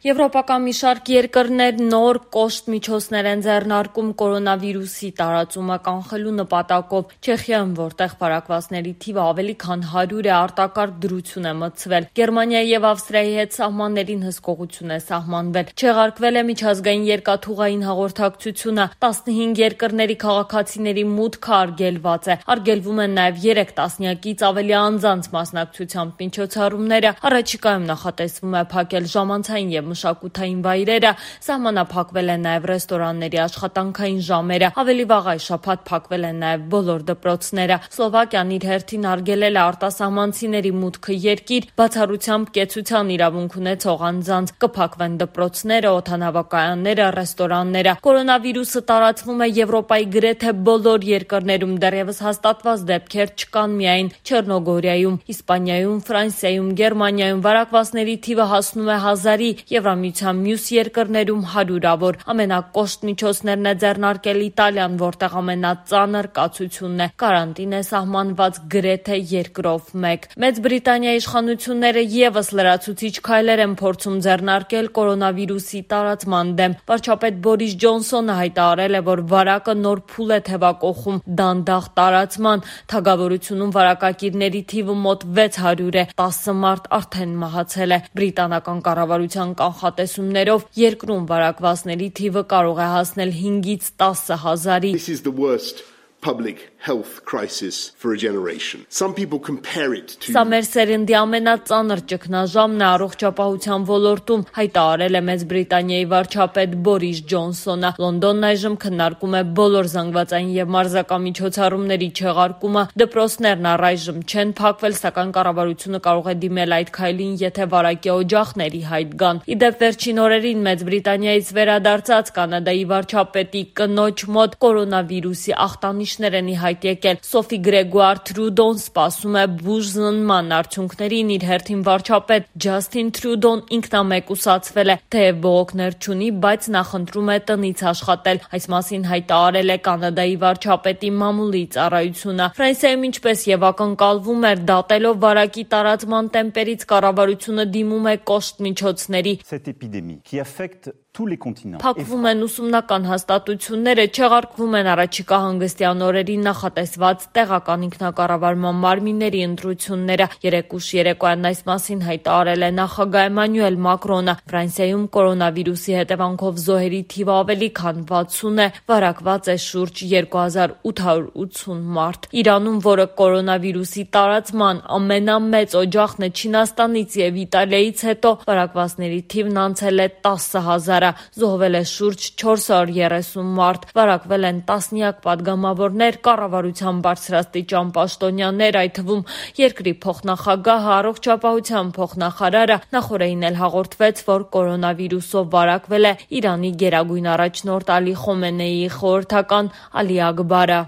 Եվրոպական մի շարք երկրներ նոր կոշտ միջոցներ են ձեռնարկում կորոնավիրուսի տարածումը կանխելու նպատակով։ Չեխիայում, որտեղ վարակվածների թիվը ավելի քան 100 է, արտակարգ դրություն է մտցվել։ Գերմանիայի եւ Ավստրիայի հետ սահմաններին հսկողություն է սահմանվել։ Չեղարկվել է միջազգային երկաթուղային հաղորդակցությունը։ 15 երկրների քաղաքացիների մուտքը արգելված է։ Արգելվում են նաեւ 3 տասնյակից ավելի անձանց մասնակցությամբ միջոցառումները։ Առաջիկայում նախատեսվում է փակել ժամանցային եւ մշակութային վայրերը, սահմանափակվել են նաև ռեստորանների աշխատանքային ժամերը, ավելի վաղ այս շաբաթ փակվել են նաև բոլոր դպրոցները։ Սլովակիան իր հերթին արգելել է արտասահմանցիների մուտքը երկիր, բացառությամբ կեցության իրավունք ունեցող անձանց։ Կփակվեն դպրոցները, օդանավակայանները, ռեստորանները։ Կորոնավիրուսը տարածվում է Եվրոպայի գրեթե բոլոր երկրներում, դեռևս հաստատված դեպքեր չկան միայն Չեռնոգորիայում, Իսպանիայում, Ֆրանսիայում, Գերմանիայում վարակվածների թիվը հասնում է 1000-ի, Եվրամիության մյուս երկրներում հարյուրավոր։ Ամենակոշտ միջոցներն է ձեռնարկել Իտալիան, որտեղ ամենածանր կացությունն է։ Կարանտին է սահմանված գրեթե երկրով մեկ։ Մեծ Բրիտանիայի իշխանությունները եւս լրացուցիչ քայլեր են փորձում ձեռնարկել կորոնավիրուսի տարածման դեմ։ Վարչապետ Բորիս Ջոնսոնը հայտարարել է, որ վարակը նոր փուլ է թևակողում դանդաղ տարածման։ Թագավորությունում վարակակիրների թիվը մոտ 600 է, 10 մարդ արդեն մահացել է։ Բրիտանական կառավարության կանխատեսումներով երկրում վարակվածների թիվը կարող է հասնել 5-ից 10 հազարի։ This is the worst public health crisis for a generation. Some people compare it to Սա մեր սերնդի ամենածանր ճգնաժամն է առողջապահության ոլորտում, հայտարարել է Մեծ Բրիտանիայի վարչապետ Բորիս Ջոնսոնը։ Լոնդոնն այժմ քննարկում է բոլոր զանգվածային եւ մարզական միջոցառումների չեղարկումը։ Դպրոցներն առայժմ չեն փակվել, սակայն կառավարությունը կարող է դիմել այդ քայլին, եթե վարակի օջախների հայտ գան։ Իդեպ վերջին օրերին Մեծ Բրիտանիայից վերադարձած Կանադայի վարչապետի կնոջ մոտ կորոնավիրուսի ախտանիշներ են հայտ եկել։ Սոֆի Գրեգուար Թրյուդոն սպասում է բուժզնման արդյունքներին, իր հերթին վարչապետ Ջասթին Թրյուդոն ինքնամեկուսացվել է, թեև բողոքներ չունի, բայց նախընտրում է տնից աշխատել։ Այս մասին հայտարարել է Կանադայի վարչապետի մամուլի ծառայությունը։ Ֆրանսիայում ինչպես եւ ակնկալվում էր, դատելով վարակի տարածման տեմպերից կառավարությունը դիմում է կոշտ միջոցների։ Փակվում են ուսումնական հաստատությունները, չեղարկվում են առաջիկա հանգստյան օրերին նախատեսված տեղական ինքնակառավարման մարմինների ընտրությունները։ Երեկուշ երեկոյան այս մասին հայտարարել է նախագահ Էմանուել Մակրոնը։ Ֆրանսիայում կորոնավիրուսի հետևանքով զոհերի թիվը ավելի քան 60 է, վարակված է շուրջ 2880 մարդ։ Իրանում, որը կորոնավիրուսի տարածման ամենամեծ օջախն է Չինաստանից եւ Իտալիայից հետո, վարակվածների թիվն անցել է 10,000-ը, զոհվել է շուրջ 430 մարդ, վարակվել են տասնյակ պատգամավորներ, կառավարության բարձրաստիճան պաշտոնյաներ, այդ թվում երկրի փոխնախագահը, առողջապահության փոխնախարարը։ Նախորդին էլ հաղորդվեց, որ կորոնավիրուսով վարակվել է Իրանի գերագույն առաջնորդ Ալի Խոմեյնիի խորհրդական Ալի Ակբարը։